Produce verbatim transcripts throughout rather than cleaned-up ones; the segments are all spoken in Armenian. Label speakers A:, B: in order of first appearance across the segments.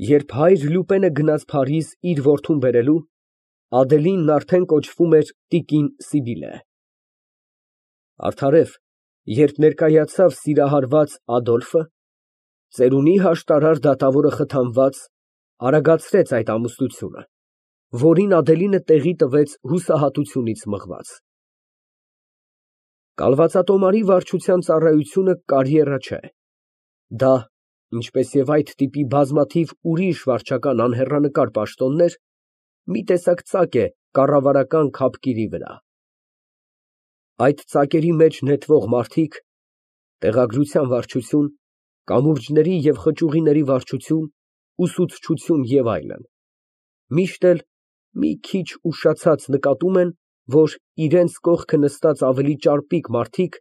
A: Երբ հայր Լյուպենը գնաց Փարիզ իր որդուն բերելու, Ադելինն արդեն կոչվում էր տիկին Սիբիլը։ Արդարև, երբ ներկայացավ սիրահարված Ադոլֆը, ծերունի հաշտարար դատավորը խթանված, արագացրեց այդ ամուսնությունը, որին Ադելինը տեղի տվեց հուսահատությունից մղված։ Կալվածատոմարի վարչության ծառայությունը կարիերա չէ։ Դա, ինչպես և այդ տիպի բազմաթիվ ուրիշ վարչական անհեռանկար պաշտոններ, մի տեսակ ծակ է կառավարական քապկիրի վրա։ Այդ ծակերի մեջ նետվող մարդիկ, տեղագրության վարչություն, կամուրջների և խճուղիների վարչություն, ուսուցչություն և այլն, միշտ էլ մի քիչ ուշացած նկատում են, որ իրանց կողքը նստած ավելի ճարպիկ մարդիկ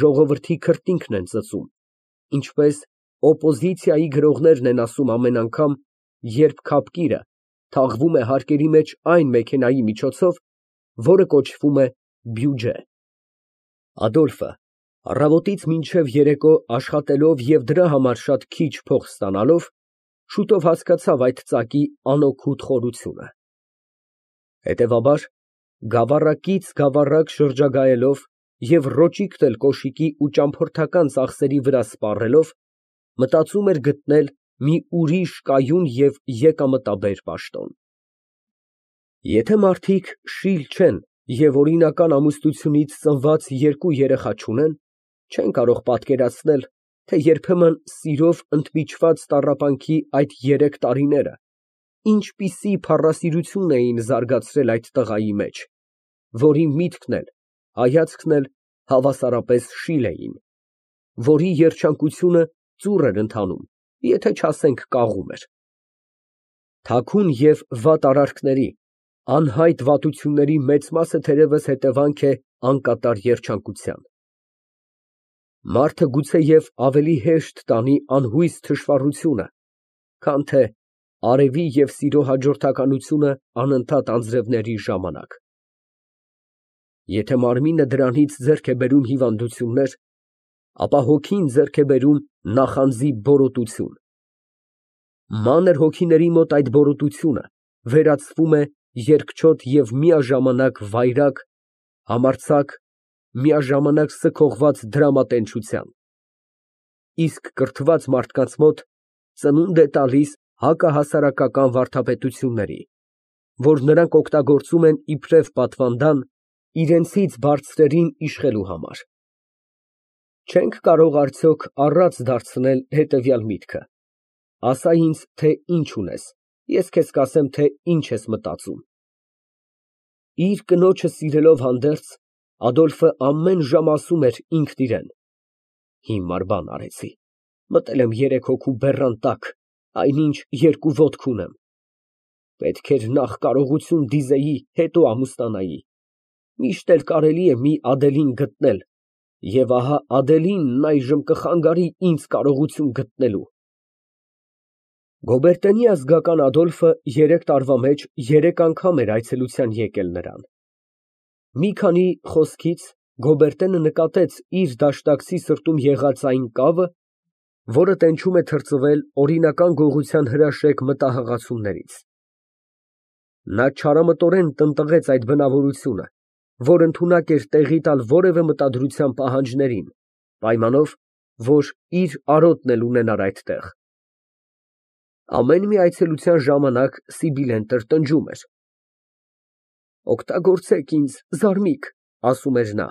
A: ժողովրդի քրտինքն են ծծում, ինչպես օպոզիցիայի գրողներն են ասում ամեն անգամ, երբ քապկիրը թաղվում է հարկերի մեջ այն մեքենայի միջոցով, որը կոչվում է բյուջե։ Ադոլֆը առավոտից մինչև երեկո աշխատելով և դրա համար շատ քիչ փող ստանալով, շուտով հասկացավ այդ ծակի անօգուտ խորությունը։ Հետևաբար, գավառակից գավառակ շրջագայելով և ռոճիկն էլ կոշիկի ու ճամփորդական ծախսերի վրա սպառելով, մտածում էր գտնել մի ուրիշ կայուն և եկամտաբեր պաշտոն։ Եթե մարդիկ շիլ չեն և օրինական ամուսնությունից ծնված երկու երեխա չունեն, չեն կարող պատկերացնել, թե երբեմն սիրով ընդմիջված տառապանքի այդ երեք տարիները ինչպիսի փառասիրություն էին զարգացրել այդ տղայի մեջ, որի միտքն էլ, հայացքն էլ հավասարապես շիլ էին, որի երջանկությունը ծուռ էր ընթանում, եթե չասենք կաղում էր։ Թաքուն և վատ արարքների, անհայտ վատությունների մեծ մասը թերևս հետևանք է անկատար երջանկության։ Մարդը գուցեև ավելի հեշտ տանի անհույս թշվառությունը, քան թե արևի և սիրո հաջորդականությունը անընդհատ անձրևների ժամանակ։ Եթե մարմինը դրանից ձեռք է բերում հիվանդություններ, ապա հոգին ձեռք է բերում նախանձի բորոտություն։ Մանր հոգիների մոտ այդ բորոտությունը վերածվում է երկչոտ և միաժամանակ վայրագ, համարձակ, միաժամանակ սգողված դրամատենչության, իսկ կրթված մարդկանց մոտ ծնունդ է տալիս հակահասարակական վարդապետությունների, որ նրանք օգտագործում են իբրև պատվանդան իրենցից բարձրերին իշխելու համար։ Չե՞նք կարող արդյոք առած դարձնել հետևյալ միտքը. ասա ինձ, թե ինչ ունես, ես քեզ կասեմ, թե ինչ ես մտածում։ Իր կնոջը սիրելով հանդերձ, Ադոլֆը ամեն ժամ ասում էր ինքն իրան. հիմար բան արեցի, մտել եմ երեք հոգու բեռան տակ, այնինչ երկու ոտք ունեմ։ Պետք էր նախ կարողություն դիզեի, հետո ամուսնանայի, միշտ էլ կարելի է մի Ադելին գտնել, և ահա Ադելինն այժմ կխանգարի ինձ կարողություն գտնելու։ Գոբերտենի ազգական Ադոլֆը երեք տարվա մեջ երեք անգամ էր այցելության եկել նրան։ Մի քանի խոսքից Գոբերտենը նկատեց իր դաշնակցի սրտում եղած այն կավը, որը տենչում է թրծվել օրինական գողության հրաշեկ մտահղացումներից։ Նա չարամտորեն տնտղեց այդ բնավորությունը, որ ընդունակ էր տեղի տալ որևէ մտադրության պահանջներին, պայմանով, որ իր արոտն էլ ունենար այդտեղ։ Ամեն մի այցելության ժամանակ Սիբիլեն տրտնջում էր. «Օգտագործեք ինձ, զարմիկ», ասում էր նա,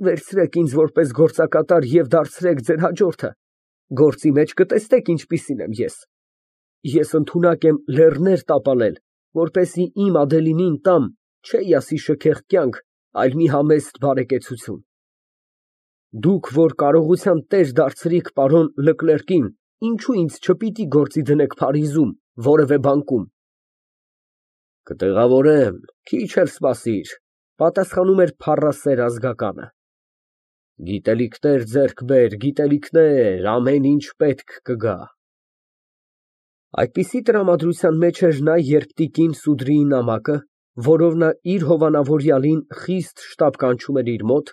A: «վերցրեք ինձ որպես գործակատար և դարձրեք ձեր հաջորդը, գործի մեջ կտեսնեք ինչպիսին եմ ես։ Ես ընդունակ եմ լեռներ տապալել, որպեսզի իմ Ադելինին տամ չէ ասի շքեղ կյանք, այլ մի համեստ բարեկեցություն։ Դուք, որ կարողության տեր դարձրիք պարոն Լկլերկին, ինչո՞ւ ինձ չպիտի գործի դնեք Փարիզում, որևէ բանկում»։ Կտեղավորեմ, քիչ էլ սպասիր, պատասխանում էր փառասեր ազգականը։ Գիտելիքներ ձեռք բեր, գիտելիքներ, ամեն ինչ պետք կգա։ Այդպիսի տրամադրության մեջ էր նա, երբ տիկին Սուդրիի նամակը, որով նա իր հովանավորյալին խիստ շտապ կանչում էր իր մոտ,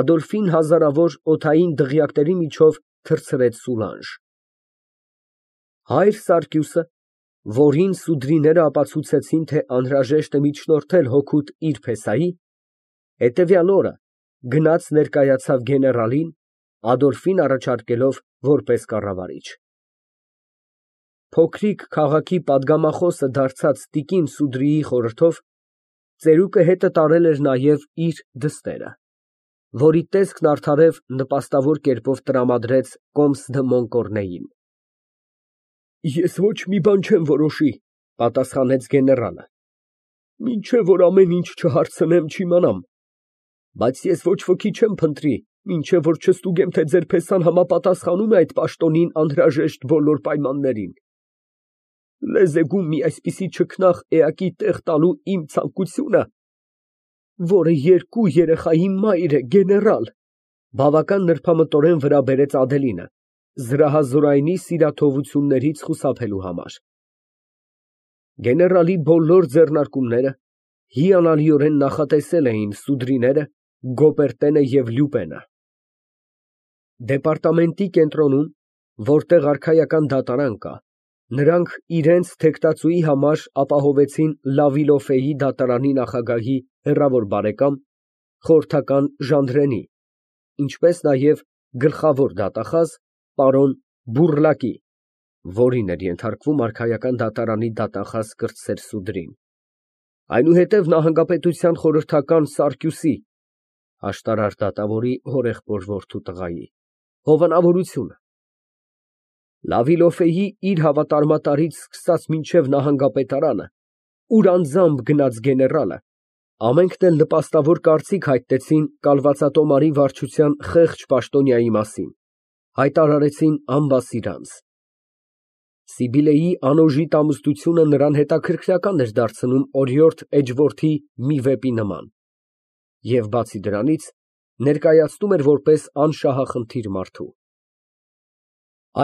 A: Ադոլֆին հազարավոր օդային դղյակների միջով թռցրեց Սուլանժ։ Հայր Սարգիսը, որին սուդրիները ապացուցեցին, թե անհրաժեշտ է միջնորդել հօգուտ իր փեսայի, հետևյալ օրը գնաց ներկայացավ գեներալին, Ադոլֆին առաջարկելով որպես կառավարիչ։ Փոքրիկ քաղաքի պատգամախոսը դարձած տիկին Սուդրիի խորհրդով ծերուկը հետը տարել էր նաև իր դստերը, որի տեսքն արդարև նպաստավոր կերպով տրամադրեց կոմս դը Մոնկորնեին։ Ես ոչ մի բան չեմ որոշի, պատասխանեց գեներալը, մինչև որ ամեն ինչ չհարցնեմ, չիմանամ, բայց ես ոչ ոքի չեմ փնտրի, մինչև որ չստուգեմ, թե ձեր փեսան համապատասխանում է այդ պաշտոնին անհրաժեշտ բոլոր պայմաններին։ Լեզեգում մի այսպիսի չքնաղ էակի տեղ տալու իմ ցանկությունը, որը երկու երեխայի մայր է, գեներալ, բավական նրբամտորեն վրա բերեց Ադելինը, զրահազորայնի սիրաթողություններից խուսափելու համար։ Գեներալի բոլոր ձեռնարկումները հիանալիորեն նախատեսել էին սուդրիները, Գոպերտենը և Լյուպենը։ Դեպարտամենտի կենտրոնում, որտեղ արքայական դատարան կա, նրանք իրենց թեկտածուի համար ապահովեցին Լավիլոֆեի դատարանի նախագահի հեռավոր բարեկամ, խորհրդական Ժանդրենի, ինչպես նաև գլխավոր դատախազ պարոն Բուռլակի, որին էր ենթարկվում արքայական դատարանի դատախազ կրտսեր Սուդրին, այնուհետև նահանգապետության խորհրդական Սարգիսի, աշտարար դատավորի հորեղբոր որդու տղայի, հովանավորությունը, Լավիլոֆեի իր հավատարմատարից սկսած մինչև նահանգապետարանը, ուր անձամբ գնաց գեներալը, ամենքն էլ նպաստավոր կարծիք հայտնեցին կալվածատոմարի վարչության խեղճ պաշտոնյայի մասին, հայտարարեցին անբասիր անձ։ Սիբիլեի անօժիտ ամուսնությունը նրան հետաքրքրական էր դարձնում օրիորդ էջորդի մի վեպի նման, և բացի դրանից, ներկայացնում էր որպես անշահախնդիր մարդու։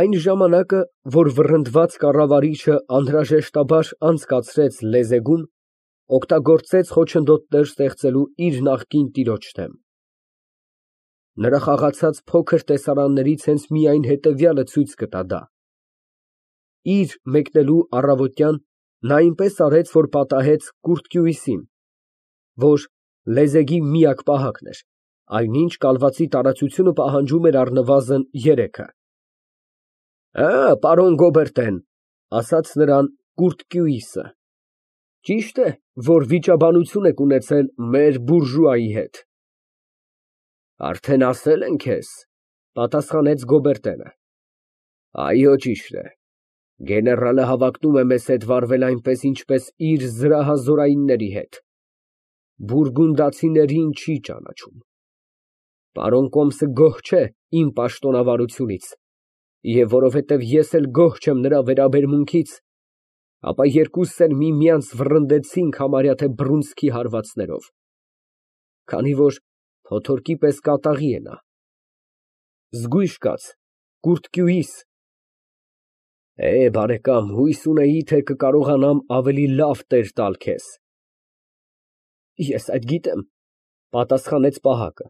A: Այն ժամանակը, որ վռնդված կառավարիչը անհրաժեշտաբար անցկացրեց Լեզեգում, օգտագործեց խոչընդոտներ ստեղծելու իր նախկին տիրոջ դեմ։ Նրա խաղացած փոքր տեսարաններից հենց միայն հետևյալը ցույց կտա դա. իր մեկնելու առավոտյան նա այնպես արեց, որ պատահեց Կուրտկյուիսին, որ Լեզեգի միակ պահակն էր, այնինչ կալվածի տարածությունը պահանջում էր առնվազն երեքը։ Ա, պարոն Գոբերտեն, ասաց նրան Կուրտկյուիսը, ճիշտ է, որ վիճաբանություն եք ունեցել մեր բուրժուայի հետ։ Արդեն ասել են քեզ, պատասխանեց Գոբերտենը։ Այո, ճիշտ է, գեներալը հավակնում է մեզ հետ վարվել այնպես, ինչպես իր զրահազորայինների հետ, բուրգունդացիներին չի ճանաչում։ Պարոն Կոմսը գոհ չէ իմ պաշտոնավարությունից, և որովհետև ես էլ գոհ չեմ նրա վերաբերմունքից, ապա երկուսս էլ միմյանց վռնդեցինք համարյա թե բռունցքի հարվածներով, քանի որ փոթորկի պես կատաղի է նա։ Զգույշ կաց, Կուրտկյուիս։ Է, բարեկամ, հույս ունեի, թե կկարողանամ ավելի լավ տեր տալ քեզ։ Ես այդ գիտեմ, պատասխանեց պահակը,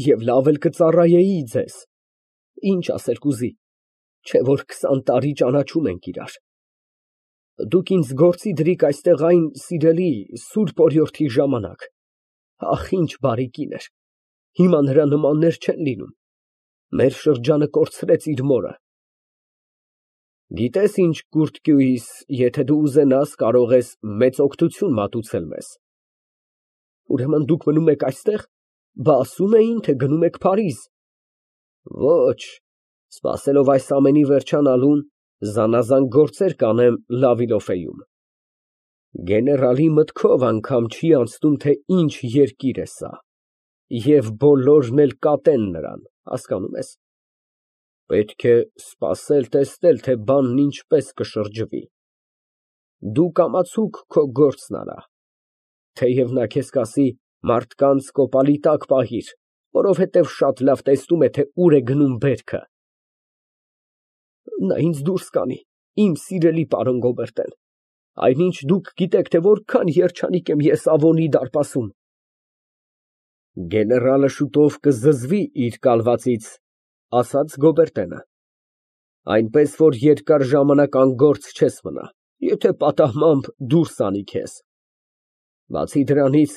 A: և լավ էլ կծառայեի ձեզ, ինչ ասել կուզի, չէ որ քսան տարի ճանաչում ենք իրար։ Դուք ինձ գործի դրիք այստեղ այն սիրելի սուրբ օրիորդի ժամանակ, ախ, ինչ բարի կին էր, հիմա նրա նմաններ չեն լինում, մեր շրջանը կորցրեց իր մորը։ Գիտես ինչ, Կուրտկյուիս, եթե դու ուզենաս, կարող ես մեծ օգնություն մատուցել մեզ։ Ուրեմն դուք մնում եք այստեղ, բա ասում էին, թե գնում եք Փարիզ։ Ոչ, սպասելով այս ամենի վերջանալուն, զանազան գործեր կանեմ Լավիլոֆեում։ Գեներալի մտքով անգամ չի անցնում, թե ինչ երկիր է սա, և բոլորն էլ կատեն նրան, հասկանում ես։ Պետք է սպասել տեսնել, թե բանն ինչպես կշրջվի։ Դու կամացուկ քո գործն արա, թեև նա քեզ կասի մարդկանց կոպալի տակ պահիր, որովհետև շատ լավ տեսնում է, թե ուր է գնում բերքը։ Նա ինձ դուրս կանի, իմ սիրելի պարոն Գոբերտեն, այնինչ դուք գիտեք, թե որքան երջանիկ եմ ես Ավոնի դարպասում։ Գեներալը շուտով կզզվի իր կալվածից, ասաց Գոբերտենը։ Այնպես որ երկար ժամանակ անգործ չես մնա, եթե պատահմամբ դուրս անի քեզ։ Բացի դրանից,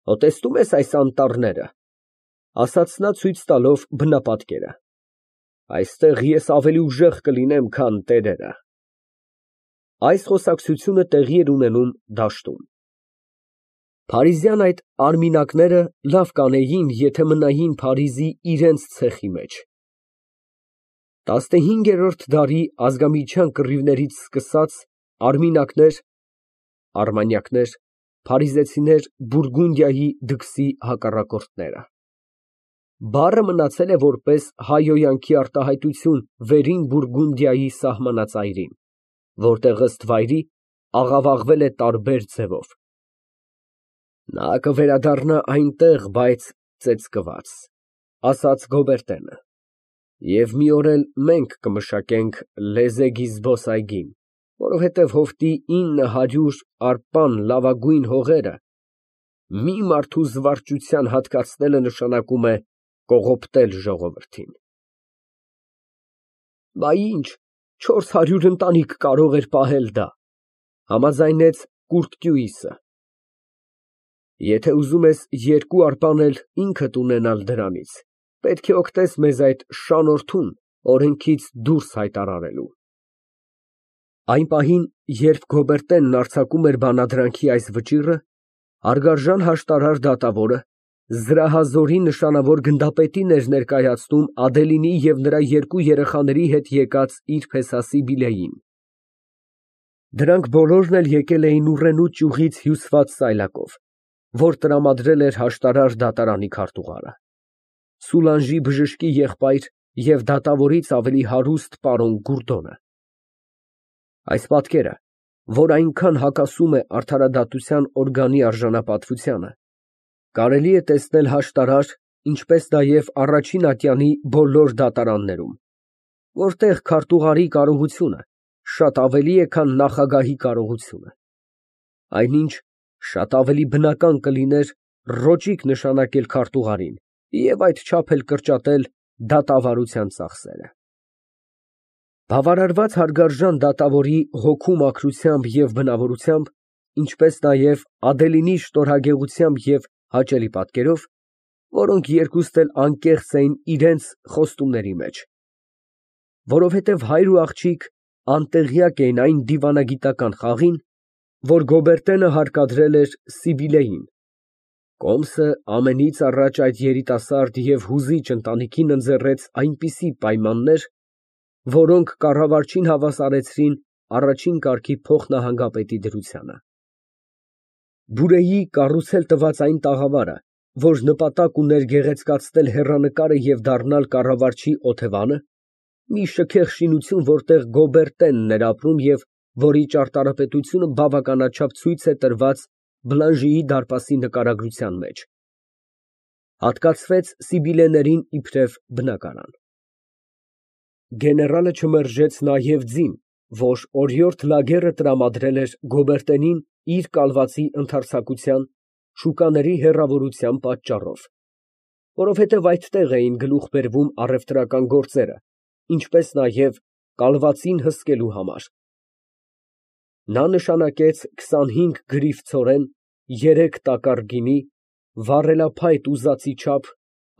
A: հո տեսնո՞ւմ ես այս անտառները, ասաց նա ցույց տալով բնապատկերը, այստեղ ես ավելի ուժեղ կլինեմ, քան տերերը։ Այս խոսակցությունը տեղի էր ունենում դաշտում։ Փարիզյան այդ արմինակները լավ կանեին, եթե մնային Փարիզի իրենց ցեխի մեջ։ Տասնհինգերորդ դարի ազգամիջյան կռիվներից սկսած արմինակներ, արմանյակներ, փարիզեցիներ Բուրգունդիայի դքսի հակառակորդները։ Բառը մնացել է որպես հայհոյանքի արտահայտություն վերին Բուրգունդիայի սահմանածայրին, որտեղ ըստ վայրի աղավաղվել է տարբեր ձևով։ Նա կվերադառնա այնտեղ, բայց ծեծկված, ասաց Գոբերտենը, և մի օր էլ մենք կմշակենք լեզեգի զբոսայգին, որովհետև հովտի ինը հարյուր արպան լավագույն հողերը մի մարդու զվարճության հատկացնելը նշանակում է կողոպտել ժողովրդին։ Բա ինչ, չորս հարյուր ընտանիք կարող էր պահել դա, համաձայնեց Կուրտկյուիսը։ Եթե ուզում ես երկու արպան էլ ինքդ ունենալ դրանից, պետք է օգտես մեզ այդ շանորթուն օրենքից դուրս հայտարարելու։ Այն պահին, երբ Գոբերտենն արձակում էր բանադրանքի այս վճիռը, հարգարժան հաշտարար դատավորը զրահազորի նշանավոր գնդապետին էր ներկայացնում Ադելինի և նրա երկու երեխաների հետ եկած իր փեսա Սիբիլեին։ Դրանք բոլորն էլ եկել էին ուռենու ճյուղից հյուսված սայլակով, որ տրամադրել էր հաշտարար դատարանի քարտուղարը, Սուլանժի բժշկի եղբայր և դատավորից ավելի հարուստ պարոն Գուրդոնը։ Այս պատկերը, որ այնքան հակասում է արդարադատության օրգանի արժանապատվությանը, կարելի է տեսնել հաշտարար, ինչպես նաև առաջին ատյանի բոլոր դատարաններում, որտեղ քարտուղարի կարողությունը շատ ավելի է, քան նախագահի կարողությունը, այնինչ շատ ավելի բնական կլիներ ռոճիկ նշանակել քարտուղարին և այդչափ էլ կրճատել դատավարության ծախսերը։ Բավարարված հարգարժան դատավորի հոգու մաքրությամբ և բնավորությամբ, ինչպես նաև Ադելինի շտորհագեղությամբ և հաճելի պատկերով, որոնք երկուստ էլ անկեղծ էին իրենց խոստումների մեջ, որովհետև հայր ու աղջիկ անտեղյակ էին այն դիվանագիտական խաղին, որ Գոբերտենը հարկադրել էր Սիբիլեին, կոմսը ամենից առաջ այդ երիտասարդ և հուզիչ ընտանիքին ընձեռեց այնպիսի պայմաններ, որոնք կառավարչին հավասարեցրին առաջին կարգի փոխնահանգապետի դրությանը։ Բուրեի կառուցել տված այն տաղավարը, որ նպատակ ուներ գեղեցկացնել հեռանկարը և դառնալ կառավարչի օթևանը, մի շքեղ շինություն, որտեղ Գոբերտենն էր ապրում և որի ճարտարապետությունը բավականաչափ ցույց է տրված Բլանժիի դարպասի նկարագրության մեջ, հատկացվեց Սիբիլեներին իբրև բնակարան։ Գեներալը չմերժեց նաև ձին, որ օրիորդ Լագերը տրամադրել էր Գոբերտենին իր կալվածի ընդարձակության, շուկաների հեռավորության պատճառով, որովհետև այդտեղ էին գլուխ բերվում առևտրական գործերը, ինչպես նաև կալվածին հսկելու համար։ Նա նշանակեց քսանհինգ գրիֆ ցորեն, երեք տակառ գինի, վառելափայտ ուզածի չափ,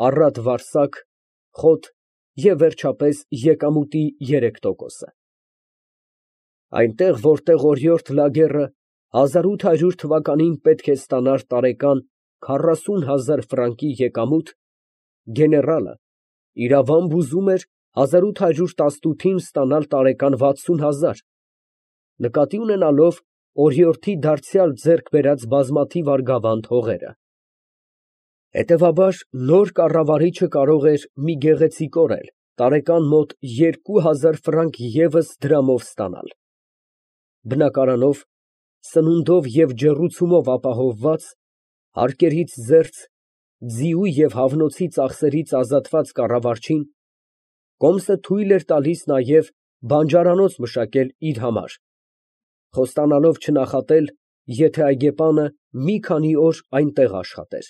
A: առատ վարսակ, խոտ և վերջապես եկամուտի երեք տոկոսը։ Այնտեղ, որտեղ օրիորդ Լագերը հազար ութ հարյուր թվականին պետք է ստանար տարեկան քառասուն հազար ֆրանկի եկամուտ, գեներալը իրավամբ ուզում էր հազար ութ հարյուր տասնութին ստանալ տարեկան վաթսուն հազար, նկատի ունենալով օրիորդի դարձյալ ձեռք բերած բազմաթիվ արգավանդ հողերը։ Հետևաբար, նոր կառավարիչը կարող էր մի գեղեցիկ օր էլ տարեկան մոտ երկու հազար ֆրանկ ևս դրամով ստանալ։ Բնակարանով, սնունդով և ջեռուցումով ապահովված, հարկերից զերծ, ձիու և հավնոցի ծախսերից ազատված կառավարչին կոմսը թույլ էր տալիս նաև բանջարանոց մշակել իր համար, խոստանալով չնախատել, եթե այգեպանը մի քանի օր այնտեղ աշխատեր։